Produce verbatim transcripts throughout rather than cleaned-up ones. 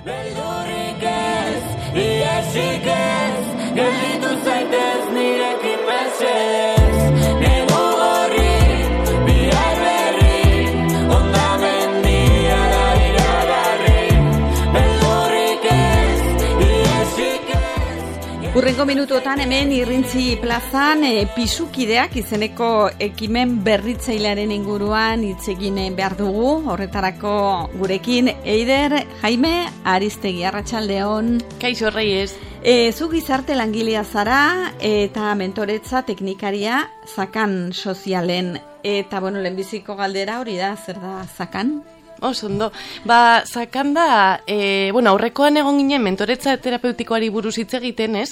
Beldurrik ez, iesik ez, gelditu zaitez nirekin mesedez. Negu gorri, bihar berri, hondamendia da iragarri. Beldurrik ez, iesik ez. Hurrengo minutuotan hemen Irrintzi plazan e, pisukideak izeneko ekimen berritzailearen inguruan hitz egin behar dugu. Horretarako gurekin Eider Jaime Aristegi, arratsaldeon. Kaixo Reyes. E, zu gizarte langilea zara eta mentoretza teknikaria Zakan sozialen. Eta bueno, lehenbiziko galdera hori da, zer da Zakan? Oso ondo. Ba, Zakan da, e, bueno, aurrekoan egon ginen mentoretza terapeutikoari buruz hitz egiten, ez?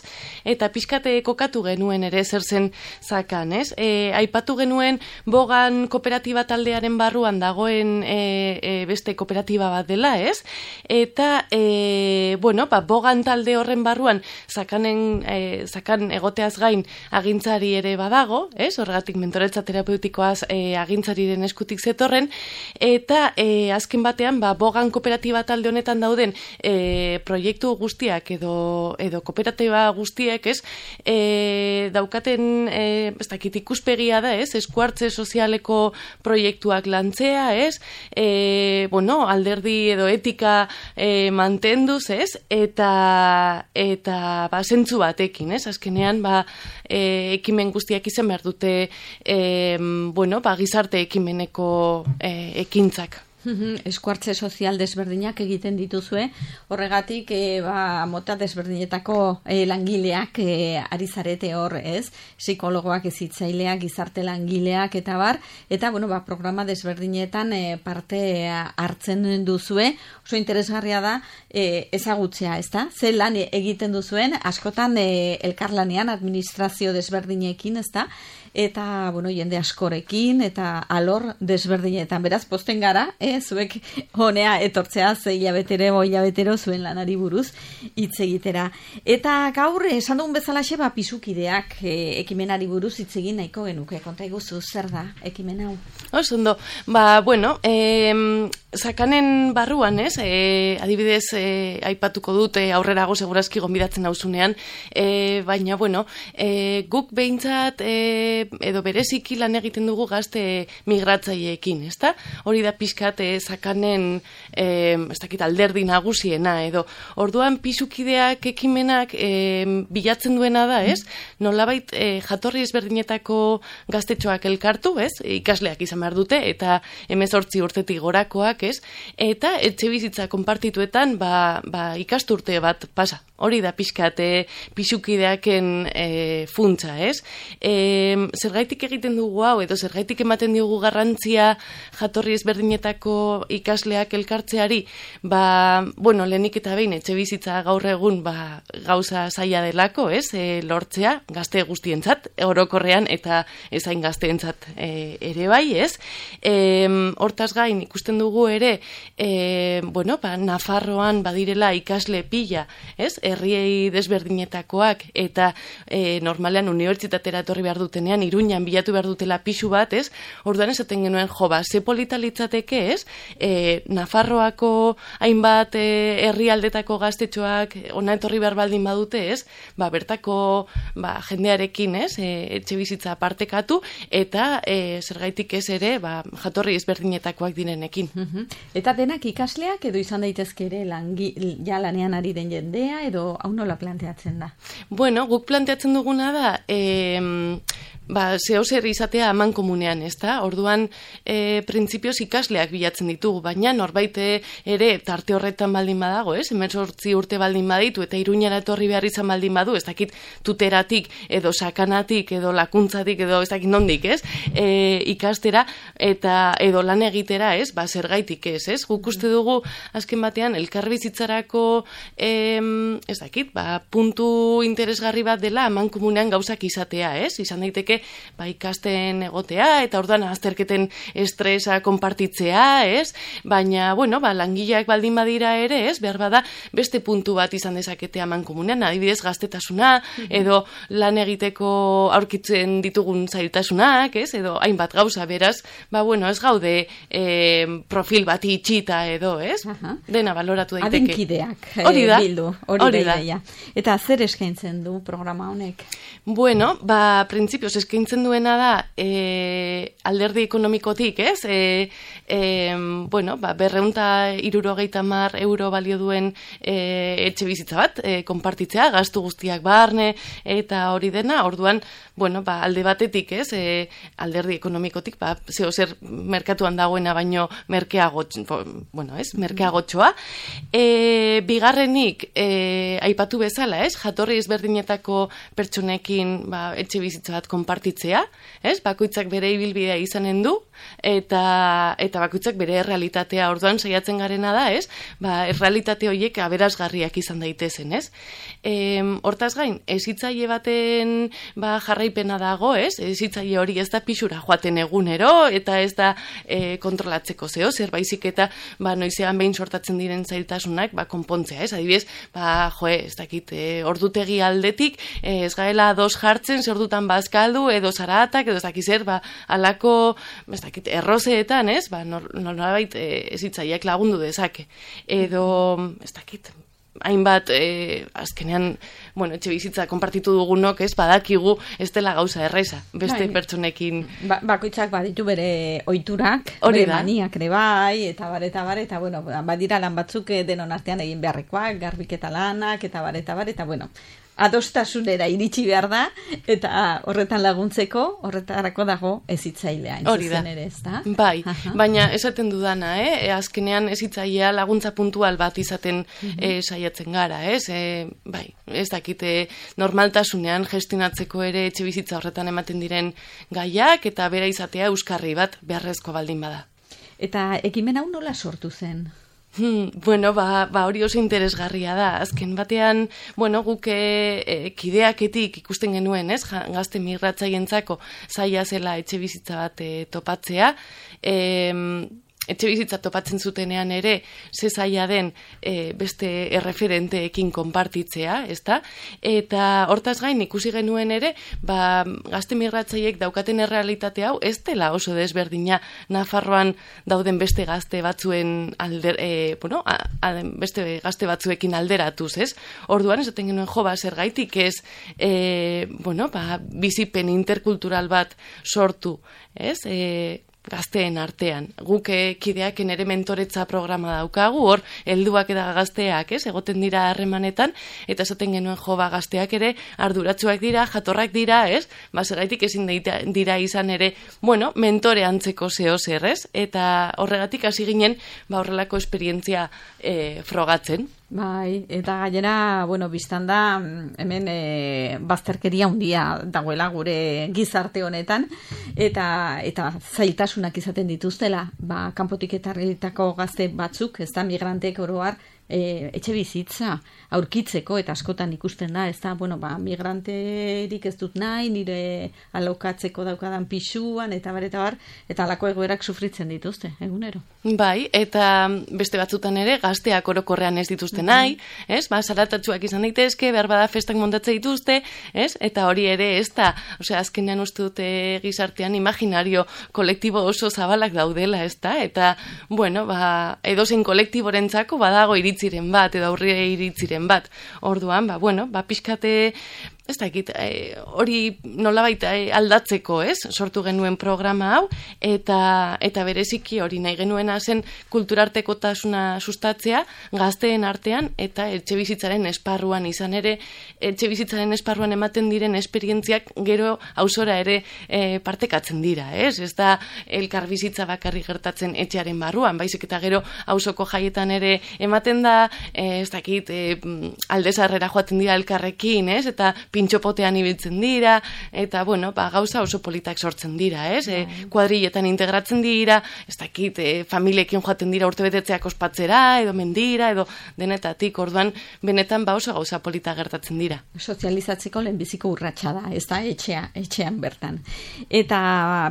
Eta pixkate kokatu genuen ere zer zen Zakan, ez? E, aipatu genuen Bogan kooperatiba taldearen barruan dagoen e, e, beste kooperatiba bat dela, ez? Eta, e, bueno, ba, Bogan talde horren barruan Zakanen, e, Zakan egoteaz gain agintzari ere badago, ez? Horregatik mentoretza terapeutikoaz e, agintzariren eskutik zetorren, eta e, azken batean, ba, Bogan kooperatiba talde honetan dauden e, proiektu guztiak edo, edo kooperatiba guztiek, ez, e, daukaten, e, ez dakit ikuspegia da, ez, eskuartze sozialeko proiektuak lantzea, ez, e, bueno, alderdi edo etika e, mantenduz, ez, eta, eta ba, zentzu batekin, ez, azkenean, ba, e, ekimen guztiak izan behar dute, e, bueno, ba, gizarte ekimeneko e, ekintzak. Eskuartze sozial desberdinak egiten dituzue, horregatik e, ba, mota desberdinetako e, langileak e, ari zarete hor, ez? Psikologoak, hezitzaileak, gizarte langileak eta bar, eta bueno, ba, programa desberdinetan e, parte hartzen duzue, oso interesgarria da e, ezagutzea, ezta? Ze lan egiten duzuen, askotan e, elkarlanean administrazio desberdinekin, ezta? Eta, bueno, jende askorekin, eta alor desberdinetan. Beraz, posten gara, eh, zuek honea etortzea, ze hilabetero, hilabetero zuen lanari buruz hitz egitera. Eta gaur, esan dugun bezalaxe, ba, pisukideak eh, ekimenari buruz hitz egin nahiko genuke. Konta iguzu, zer da ekimen hau? Oso ondo, ba, bueno, eh, Zakanen barruan, ez, e, adibidez, e, aipatuko dut e, aurrerago segurazki gonbidatzen nauzunean, e, baina, bueno, e, guk behintzat e, edo bereziki lan egiten dugu gazte migratzaileekin, ezta? Hori da pixkat e, Zakanen, e, ez dakit alderdi nagusiena, edo orduan pisukideak ekimenak e, bilatzen duena da, ez? Nolabait e, jatorri ezberdinetako gaztetxoak elkartu, ez? Ikasleak izan behar dute, eta hemezortzi urtetik gorakoak, ez? Eta etxe bizitza konpartituetan ba, ba, ikasturte bat pasa. Hori da pixkat e, pisukideaken e, funtsa, ez? E, zergaitik egiten dugu hau, edo zergaitik ematen diogu garrantzia jatorri ezberdinetako ikasleak elkartzeari, ba, bueno, lehenik eta behin etxe bizitza gaur egun ba, gauza zaila delako, ez? E, lortzea, gazte guztientzat, orokorrean eta ezain gazteentzat e, ere bai, ez? E, hortaz gain ikusten dugu ere, e, bueno, ba, Nafarroan badirela ikasle pila, ez? Herriei desberdinetakoak, eta e, normalean unibertsitatera etorri behar dutenean, Iruñan bilatu behar dutela pisu bat, ez? Orduan esaten genuen, jo, ba, ze polita litzateke, ez? E, Nafarroako hainbat e, herrialdetako gaztetxoak ona etorri behar baldin badute, ez? Ba, bertako ba, jendearekin, ez? E, etxe bizitza partekatu, eta e, zergaitik ez ere, ba, jatorri ezberdinetakoak direnekin. Eta denak ikasleak edo izan daitezke ere langi, ja lanean ari den jendea edo hau nola planteatzen da? Bueno, guk planteatzen duguna da eh, ba, zeo zer izatea aman komunean, ez da? Orduan, e, printzipioz ikasleak bilatzen ditugu, baina norbait ere tarte horretan baldin badago, ez? Hemezortzi urte baldin baditu eta Iruñara etorri behar izan baldin badu, ez dakit tuteratik edo sakanatik edo lakuntzatik edo ez dakit nondik, ez? E, ikastera eta edo lan egitera, ez? Ba, zergaitik ez, ez? Guk uste dugu azken batean elkarbizitzarako em, ez dakit, ba, puntu interesgarri bat dela aman komunean gauzak izatea, ez? Izan daiteke ba, ikasten egotea, eta orduan azterketen estresa konpartitzea, ez? Baina, bueno, ba, langileak baldin badira ere, ez? Behar bada, beste puntu bat izan dezakete amankomunean, adibidez gaztetasuna, edo lan egiteko aurkitzen ditugun zailtasunak, ez? Edo hainbat gauza, beraz, ba, bueno, ez gaude eh, profil bat itxita edo, ez? Aha. Dena baloratu daiteke. Adinkideak Hori da. eh, bildu, hori da ideia. Eta zer eskaintzen du programa honek? Bueno, ba, printzipioz eskaintzen duena da e, alderdi ekonomikotik, ez? E, e, bueno, ba, berreunta irurogeita mar euro balio duen e, etxe bizitza bat, e, konpartitzea, gastu guztiak barne, eta hori dena, orduan, bueno, ba, alde batetik, ez? E, alderdi ekonomikotik, ba, zeo zer merkatuan dagoena baino merkeago, bueno, ez? Merkeagotxoa. E, bigarrenik, e, aipatu bezala, ez? Jatorri ezberdinetako pertsonekin ba, etxe bizitza bat konpartitzea, ez? Bakoitzak bere ibilbidea izanen du, eta eta bakoitzak bere errealitatea orduan saiatzen garena da, ez? Ba, errealitate horiek aberasgarriak izan daitezen, ez? E, hortaz gain, ezitzaile baten ba, jarraipena dago, ez? Ezitzaile hori ez da pixura joaten egunero, eta ez da e, kontrolatzeko zeo, zer baizik eta ba, noizean behin sortatzen diren zailtasunak ba, konpontzea, ez? Adibidez, ba, joe, ez dakit, e, ordutegi aldetik, e, ez gaela dos jartzen, zer ordutan bazkaldu, edo zaratak, edo ez dakiz zer, ba, alako, ez dakit, errozeetan, ez? Ba, nolabait e, ezitzaileak lagundu dezake. Edo, ez dakit, hainbat, e, azkenean, bueno, etxe bizitza konpartitu dugunok, ez, badakigu, ez dela gauza erreza, beste bai, pertsonekin. Ba, bakoitzak baditu bere oiturak, hori bere da. maniak ere bai, eta bar, eta bar, eta bueno, badira lan batzuk denon artean egin beharrekoak, garbiketa lanak, eta bar, eta bar, eta bueno, adostasunera iritsi behar da, eta horretan laguntzeko, horretarako dago ezitzailea, entzuzen ere, ez da? Bai, Aha. baina esaten dudana, eh? azkenean ezitzailea laguntza puntual bat izaten uh-huh. eh, saiatzen gara, ez? Eh, bai, ez dakite normaltasunean gestionatzeko ere etxe bizitza horretan ematen diren gaiak, eta bera izatea euskarri bat beharrezko baldin bada. Eta ekimen hau nola sortu zen? Hmm, bueno, ba, ba hori oso interesgarria da. Azken batean, bueno, guk e, kideaketik ikusten genuen, ez? Ja, gazte migratzaientzako zaila zela etxe bizitza bat e, topatzea. E, etxe bizitza topatzen zutenean ere, ze zaila den e, beste erreferenteekin konpartitzea, ezta? Eta hortaz gain ikusi genuen ere, ba, gazte migratzaiek daukaten errealitate hau ez dela oso desberdina Nafarroan dauden beste gazte batzuen alder, e, bueno, a, a, beste gazte batzuekin alderatuz, ez? Orduan esaten genuen jo, ba, zergaitik ez, e, bueno, ba, bizipen interkultural bat sortu, ez? E, gazteen artean. Guk kideaken ere mentoretza programa daukagu, hor, helduak eta gazteak, ez, egoten dira harremanetan, eta esaten genuen jo, ba, gazteak ere arduratsuak dira, jatorrak dira, ez, ba, zergaitik ezin dira izan ere, bueno, mentore antzeko zeo zer, ez, eta horregatik hasi ginen, ba, horrelako esperientzia e, frogatzen. Bai, eta gainera, bueno, biztan da, hemen e, bazterkeria handia dagoela gure gizarte honetan, eta eta zailtasunak izaten dituztela, ba, kanpotik etorritako gazte batzuk, ez da, migranteek oro har, e, etxe bizitza aurkitzeko, eta askotan ikusten da, ez da, bueno, ba, migranterik ez dut nahi, nire alokatzeko daukadan pisuan, eta bar, eta bar, eta alako egoerak sufritzen dituzte, egunero. Bai, eta beste batzutan ere, gazteak orokorrean ez dituzte nahi, ez? Ba, zaratatsuak izan daitezke, behar bada festak montatze dituzte, ez? Eta hori ere ez da, osea, azkenean uste dute gizartean imaginario kolektibo oso zabalak daudela, ez da? Eta, bueno, ba, edozein kolektiborentzako badago iritziren bat, edo aurre iritziren bat. Orduan, ba, bueno, ba, pixkate, ez dakit, e, hori nolabait e, aldatzeko, ez? Sortu genuen programa hau, eta eta bereziki hori nahi genuena zen kulturartekotasuna sustatzea gazteen artean, eta etxe bizitzaren esparruan izan ere, etxe bizitzaren esparruan ematen diren esperientziak gero auzora ere e, partekatzen dira, ez? Ez da elkar bizitza bakarri gertatzen etxearen barruan, baizik eta gero auzoko jaietan ere ematen da, e, ez dakit, e, aldezarrera joaten dira elkarrekin, ez? Eta pintxopotean ibiltzen dira, eta, bueno, ba, gauza oso politak sortzen dira, ez? E, kuadrilletan integratzen dira, ez dakit, e, familiekin joaten dira urtebetetzeak ospatzera, edo mendira, edo denetatik, orduan, benetan ba oso gauza polita gertatzen dira. Sozializatzeko lehenbiziko urratsa da, ez da, etxea, etxean bertan. Eta,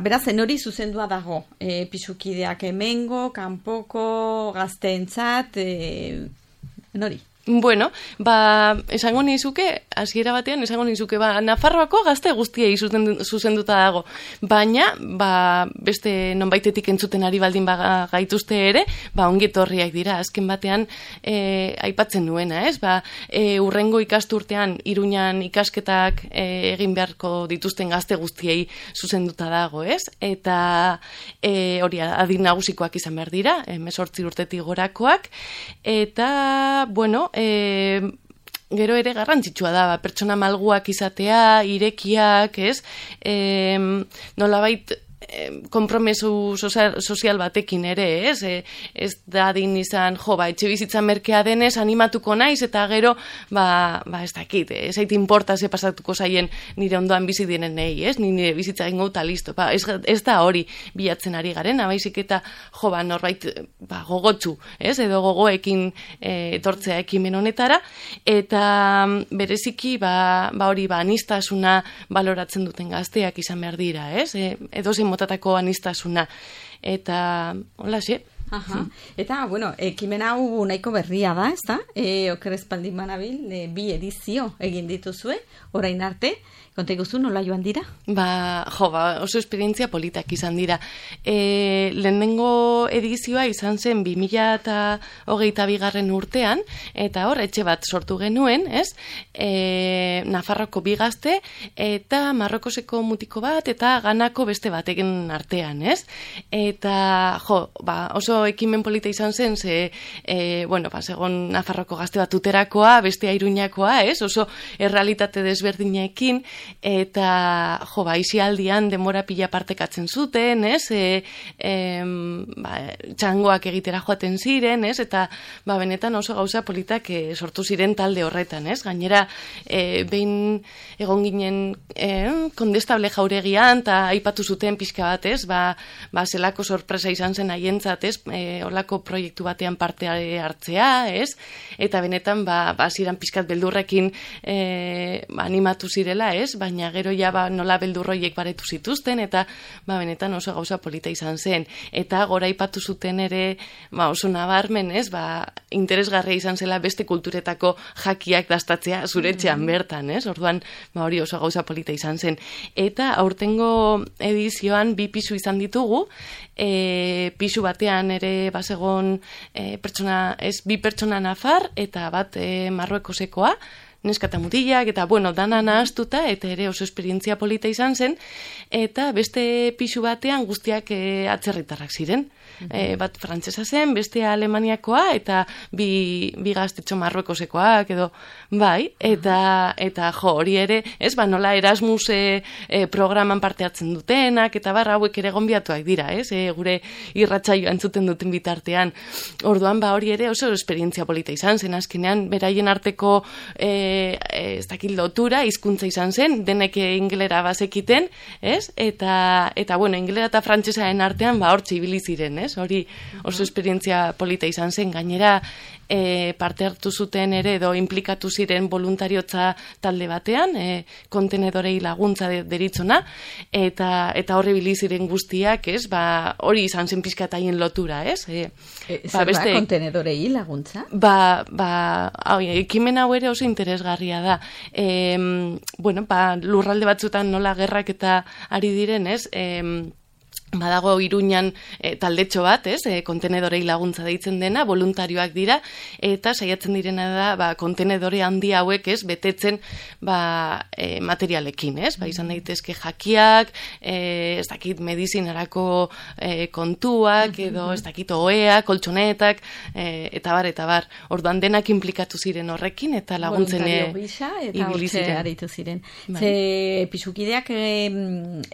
beraz, hori zuzendua dago, e, pisukideak hemengo, kanpoko, gazteentzat, e, nori? Bueno, ba, esango nizuke, hasiera batean, esango nizuke, ba, Nafarroako gazte guztiei zuzenduta dago, baina, ba, beste nonbaitetik entzuten ari baldin ba, gaituzte ere, ba, ongetorriak dira, azken batean, e, aipatzen nuena, ez? Ba, e, urrengo ikasturtean, Iruñan ikasketak e, egin beharko dituzten gazte guztiei zuzenduta dago, ez? Eta, e, hori, adin nagusikoak izan behar dira, hemezortzi urtetik gorakoak, eta, bueno, E, gero ere garrantzitsua da, ba, pertsona malguak izatea, irekiak, ez? E, nolabait konpromesu sozial, sozial batekin ere, ez? E, ez da din izan, jo, ba, etxe bizitza merkea denez, animatuko naiz, eta gero, ba, ba ez dakit, ez ait importa ze pasatuko zaien nire ondoan bizi diren nahi, ez? Nire bizitza egingo eta listo. Ba, ez, ez da hori bilatzen ari garen, abaizik eta, jo, ba, norbait, ba, gogotsu, ez? Edo gogoekin e, etortzea ekimen honetara, eta bereziki, ba, ba hori, ba, anistasuna baloratzen duten gazteak izan behar dira, ez? E, edo zein motatako anistasuna. Eta, hola, xe. Aha. Eta, bueno, ekimen hau nahiko berria da, ez da? E, oker espaldin banabil, e, bi edizio egin dituzue, orain arte. Konta iguzu, nola joan dira? Ba, jo, ba, oso esperientzia politak izan dira. E, lehenengo edizioa izan zen bi mila hogeita bigarren urtean, eta hor, etxe bat sortu genuen, ez? E, Nafarroko bi gazte, eta Marrokoseko mutiko bat, eta Ganako beste batekin artean, ez? Eta, jo, ba, oso ekimen polita izan zen, ze, e, bueno, ba, segon Nafarroko gazte bat uterakoa, bestea Iruñakoa, ez? Oso errealitate desberdinekin, eta, jo, ba, isialdian denbora pila partekatzen zuten, ez? E, e, ba, txangoak egitera joaten ziren, ez? Eta, ba, benetan oso gauza politak e, sortu ziren talde horretan, ez? Gainera, e, behin egon ginen e, kondestable jauregian, eta aipatu zuten pixka bat, ez? Ba, ba, zelako sorpresa izan zen haientzat, ez? E, olako proiektu batean parte hartzea, ez? Eta benetan, ba, ba ziren pixkat beldurrekin e, ba, animatu zirela, ez? Baina gero ja ba, nola beldurroiek baretu zituzten, eta ba, benetan oso gauza polita izan zen. Eta gora ipatu zuten ere, ba, oso nabarmen, ez? Ba, interesgarria izan zela beste kulturetako jakiak dastatzea zuretxean bertan, ez? Orduan, ba, hori oso gauza polita izan zen. Eta aurtengo edizioan bi pisu izan ditugu, e, pisu batean ere basegon e, pertsona, ez bi pertsona nafar, eta bat e, Marruekosekoa, neska eta mutilak, eta, bueno, dana nahaztuta, eta ere oso esperientzia polita izan zen, eta beste pisu batean guztiak e, atzerritarrak ziren. E, bat frantsesa zen, bestea Alemaniakoa, eta bi, bi gaztetxo Marruekosekoak, edo, bai, eta, eta jo, hori ere, ez, ba, nola Erasmus e, e, programan parte hartzen dutenak, eta barra hauek ere gonbiatuak dira, ez, e, gure irratsaioa entzuten duten bitartean. Orduan, ba, hori ere oso esperientzia polita izan zen, azkenean, beraien arteko e, ez dakit lotura, hizkuntza izan zen, denek ingelera bazekiten, ez, eta, eta bueno, ingelera eta frantsesaren artean, ba, hortxe ibili ziren, ez, hori oso esperientzia polita izan zen, gainera e, parte hartu zuten ere edo implikatu ziren voluntariotza talde batean, e, kontenedorei laguntza de, deritzona, eta eta horri ibili ziren guztiak, ez, ba, hori izan zen pizkataien lotura, ez? E, e, ba, beste, da kontenedorei laguntza? Ba, ba, hau, ekimen hau ere oso interesgarria da. E, bueno, ba, lurralde batzutan nola gerrak eta ari diren, ez? E, badago Iruñan e, taldetxo bat, ez, e, kontenedorei laguntza deitzen dena, voluntarioak dira, eta saiatzen direna da, ba, kontenedore handi hauek, ez, betetzen, ba, e, materialekin, ez, ba, izan daitezke jakiak, e, ez dakit medizinarako e, kontuak, edo ez dakit oheak, koltsonetak, e, eta bar, eta bar, orduan denak implikatu ziren horrekin, eta laguntzen ibili ziren. Eta hortxe aritu ziren. Bai. Ze pisukideak e,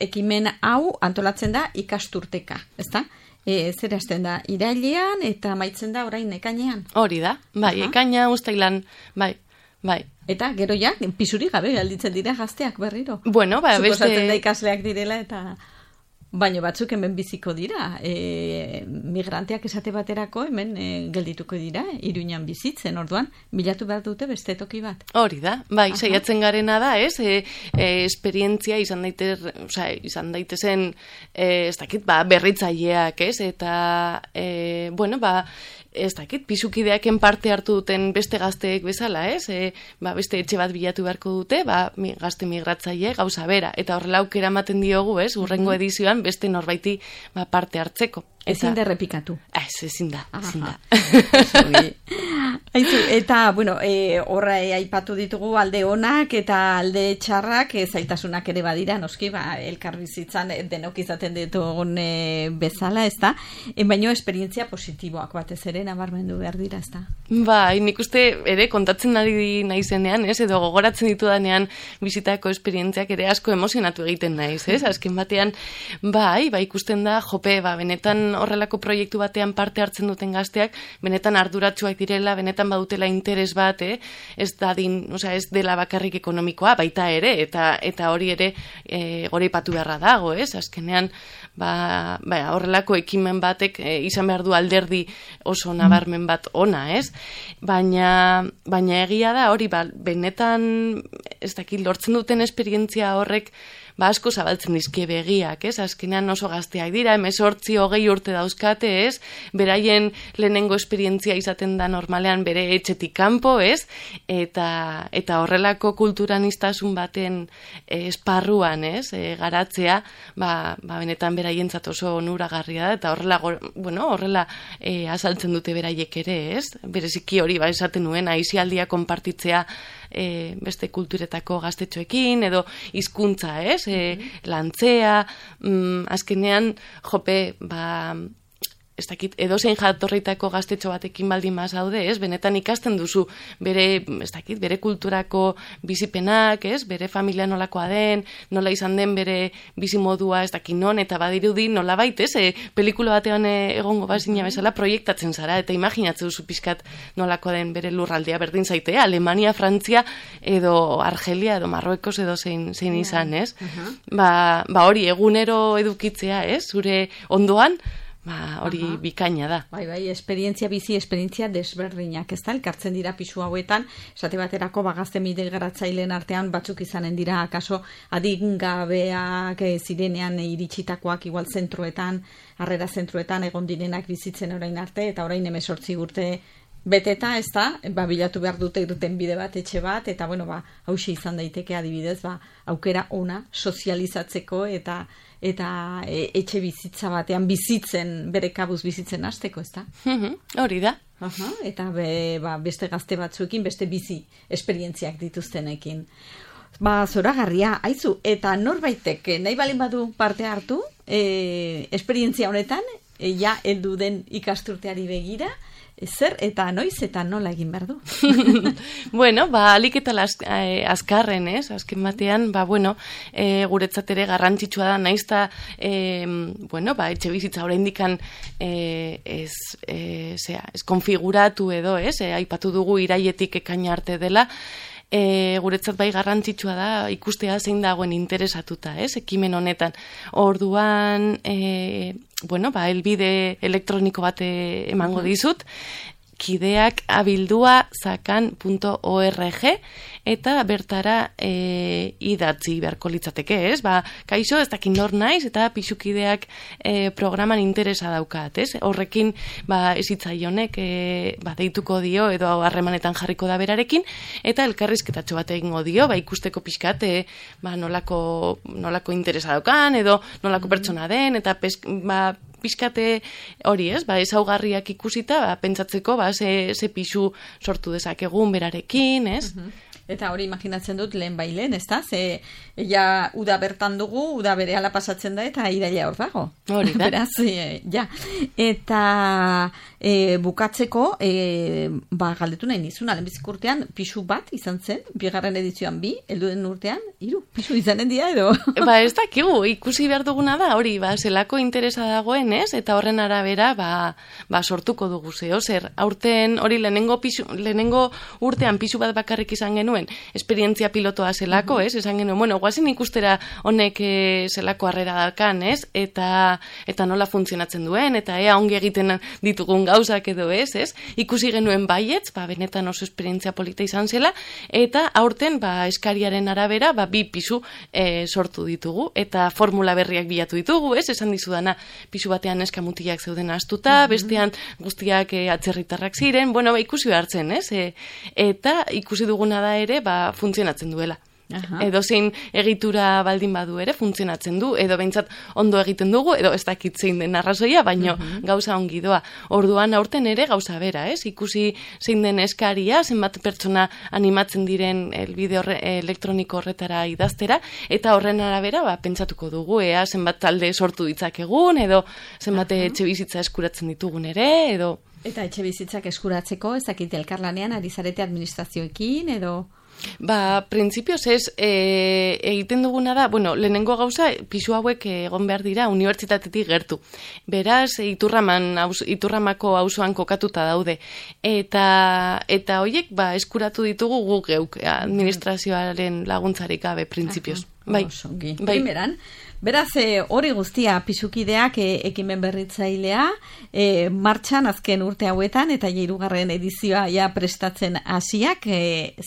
ekimen hau antolatzen da ikasturteka, ezta? E, zer hasten da, irailean eta amaitzen da orain ekainean? Hori da, bai, Aha. ekaina, ustailan, bai, bai. Eta gero ja, pisuri gabe galditzen dira gazteak berriro. Bueno, ba, beste... Suposatzen da ikasleak direla eta... Baina batzuk hemen biziko dira, e, migranteak esate baterako hemen e, geldituko dira, Iruñan bizitzen, orduan, bilatu behar dute beste toki bat. Hori da, bai, saiatzen garena da, ez, e, e, esperientzia izan daitez, oza, izan daitezen, e, ez dakit, ba, berritzaileak, ez, eta, e, bueno, ba, ez dakit, pisukideaken parte hartu duten beste gazteek bezala, ez? E, ba, beste etxe bat bilatu beharko dute, ba, mi, gazte migratzaile gauza bera. Eta horrela aukera ematen diogu, ez? Urrengo edizioan beste norbaiti ba, parte hartzeko. Ezin da errepikatu. Ez, ezin da, ezin da. Aizu, eta, bueno, e, horra e, aipatu ditugu alde onak eta alde txarrak, e, zailtasunak ere badira, noski, ba, elkarbizitzan denok izaten ditugun e, bezala, ez da? E, baino, esperientzia positiboak batez ere nabarmendu behar dira, ez da? Ba, nik uste ere kontatzen ari naizenean, ez? Edo gogoratzen ditudanean bizitako esperientziak ere asko emozionatu egiten naiz, ez? Azken batean, bai, ba, ikusten da, jope, ba, benetan horrelako proiektu batean parte hartzen duten gazteak, benetan arduratsuak direla, benetan badutela interes bat, eh? ez dadin, osea, ez dela bakarrik ekonomikoa, baita ere, eta eta hori ere e, goraipatu beharra dago, ez? Azkenean, ba, ba, horrelako ekimen batek e, izan behar du alderdi oso nabarmen bat ona, ez? Baina, baina egia da hori, ba, benetan, ez dakit, lortzen duten esperientzia horrek, ba, asko zabaltzen dizkie begiak, ez? Azkenean oso gazteak dira, hemezortzi hogei urte dauzkate, ez? Beraien lehenengo esperientzia izaten da normalean bere etxetik kanpo, ez? Eta, eta horrelako kulturaniztasun baten eh, esparruan, ez? E, garatzea, ba, ba, benetan beraientzat oso onuragarria da, eta horrela, bueno, horrela e, azaltzen dute beraiek ere, ez? Bereziki hori, ba, esaten nuen, aisialdia konpartitzea E, beste kulturetako gaztetxoekin edo hizkuntza, ez? E, lantzea, mm, azkenean, jope, ba, ez dakit, edozein jatorritako gaztetxo batekin baldin mazaude, ez? Benetan ikasten duzu bere, ez dakit, bere kulturako bizipenak, ez? Bere familia nolakoa den, nola izan den bere bizimodua, ez dakit non, eta badirudi nola bait, ez? E, pelikula batean egongo bazina bezala proiektatzen zara, eta imaginatzen duzu pixkat nolakoa den bere lurraldea berdin zaite, Alemania, Frantzia, edo Argelia, edo Marruekos, edo zein, zein izan, ez? Uh-huh. Ba, ba hori, egunero edukitzea, ez? Zure ondoan, ba, hori Aha. bikaina da. Bai, bai, esperientzia bizi, esperientzia desberdinak, ez da, elkartzen dira pisu hauetan, esate baterako bagazte migratzaileen artean batzuk izanen dira, akaso adingabeak zirenean iritsitakoak igual zentroetan, harrera zentroetan egon direnak bizitzen orain arte, eta orain hemezortzi urte beteta, ez da, ba, bilatu behar dute duten bide bat, etxe bat, eta bueno, ba, hauxe izan daiteke adibidez, ba, aukera ona sozializatzeko eta eta e, etxe bizitza batean bizitzen, bere kabuz bizitzen hasteko, ez da? Hori da. Aha, eta be, ba, beste gazte batzuekin, beste bizi esperientziak dituztenekin. Ba, zoragarria, aizu, eta norbaitek nahi balin badu parte hartu, e, esperientzia honetan, e, ja, heldu den ikasturteari begira, zer eta noiz eta nola egin behar du? Bueno, ba, alik eta las, eh, azkarren, ez? Azken batean, ba, bueno, eh, guretzat ere garrantzitsua da, naizta, eh, bueno, ba, etxe bizitza oraindikan eh, ez, eh, zera, ez konfiguratu edo, ez? Eh, aipatu dugu iraietik ekaina arte dela, E, guretzat bai garrantzitsua da ikustea zein dagoen interesatuta, ez, ekimen honetan. Orduan, e, bueno, ba, elbide elektroniko bat emango dizut, kideak abildua zakan punto org, eta bertara e, idatzi beharko litzateke, ez? Ba, kaixo, ez dakin nor naiz, eta pixukideak e, programan interesa daukat, ez? Horrekin, ba, ezitzaionek, e, ba, deituko dio, edo harremanetan jarriko da berarekin, eta elkarrizketatxo bat egingo dio, ba, ikusteko pixkat, e, ba, nolako, nolako interesa daukan, edo nolako pertsona den, eta pes, ba, pixkate hori, ez? Ba, ezaugarriak ikusita, ba, pentsatzeko, ba, ze, ze pixu sortu dezakegun berarekin, ez? Uh-huh. Eta hori imaginatzen dut lehen bailen, ez da? Ze, ja, uda bertan dugu, uda berehala pasatzen da, eta iraila hor dago. Hori da. Beraz, e, ja. Eta, e, bukatzeko, e, ba, galdetu nahi nizuna, lehenbizik urtean, pisu bat izan zen, bigarren edizioan bi, helduen urtean, hiru pisu izanen dira edo? Ba, ez dakigu, ikusi behar duguna da, hori, ba, zelako interesa dagoen, ez? Eta horren arabera, ba, ba sortuko dugu zeo, zer, aurten, hori, lehenengo, pisu, lehenengo urtean pisu bat bakarrik izan genuen, esperientzia pilotoa zelako, ez? Esan genuen, bueno, guazen ikustera honek e, zelako harrera dalkan, ez? Eta, eta nola funtzionatzen duen, eta ea ongi egiten ditugun gauzak edo ez, ez? Ikusi genuen baietz, ba, benetan oso esperientzia polita izan zela, eta aurten, ba, eskariaren arabera, ba, bi pisu e, sortu ditugu, eta formula berriak bilatu ditugu, ez? Esan dizudana, pisu batean eskamutiak zeuden astuta, mm-hmm. bestean guztiak e, atzerritarrak ziren, bueno, ba, ikusi behartzen, ez? E, eta ikusi duguna da ere, ba, funtzionatzen duela. Aha. Edo zein egitura baldin badu ere funtzionatzen du, edo behintzat ondo egiten dugu, edo ez dakit zein den arrazoia, baino uh-huh. gauza ongi doa. Orduan aurten ere gauza bera, ez? Ikusi zein den eskaria, zenbat pertsona animatzen diren elbide horre, elektroniko horretara idaztera, eta horren arabera ba, pentsatuko dugu, ea zenbat talde sortu ditzakegun, edo zenbat uh-huh. etxe bizitza eskuratzen ditugun ere, edo... Eta etxe bizitzak eskuratzeko, ez dakit elkarlanean, ari zarete administrazioekin, edo... Ba, printzipioz ez, e, egiten duguna da, bueno, lehenengo gauza, pisu hauek egon behar dira unibertsitatetik gertu. Beraz, iturraman, aus, iturramako auzoan kokatuta daude. Eta, eta hoiek, ba, eskuratu ditugu guk geuk, administrazioaren laguntzarik gabe, printzipioz. Bai, bai. Primeran, beraz, e, hori guztia pisukideak e, ekimen berritzailea, e, martxan azken urte hauetan, eta hirugarren edizioa ja prestatzen hasiak e,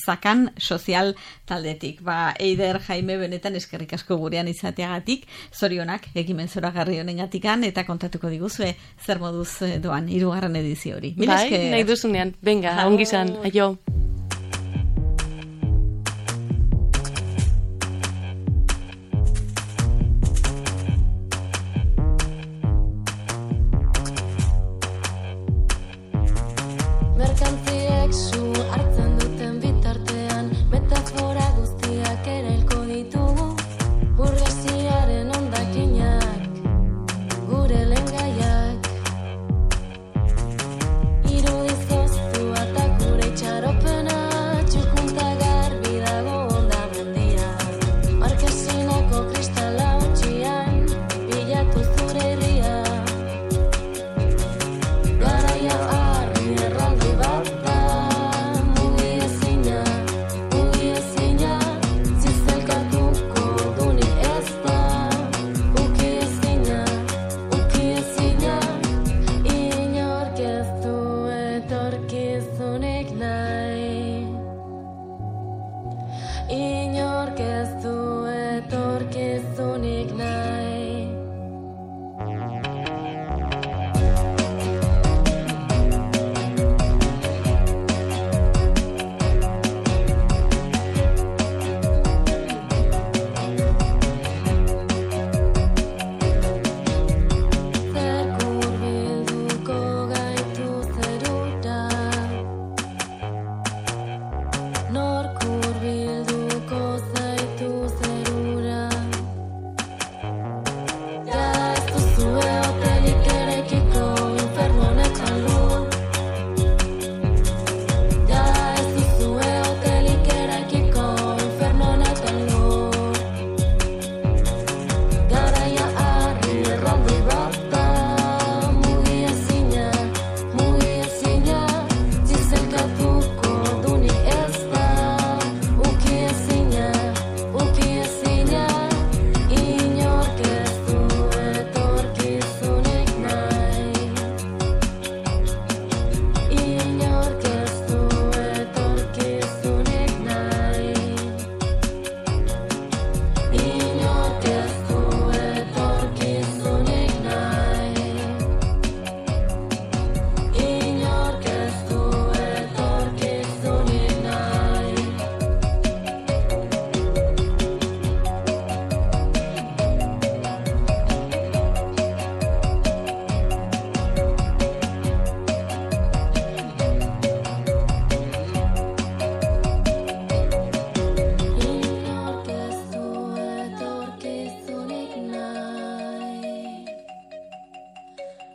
zakan sozial taldetik. Ba, Eider Jaime benetan eskerrik asko gurean izateagatik, zorionak ekimen zoragarri honengatikan, eta kontatuko diguzue zer moduz doan hirugarren edizio hori. Bai, nahi duzunean. Venga, ongi izan, aio.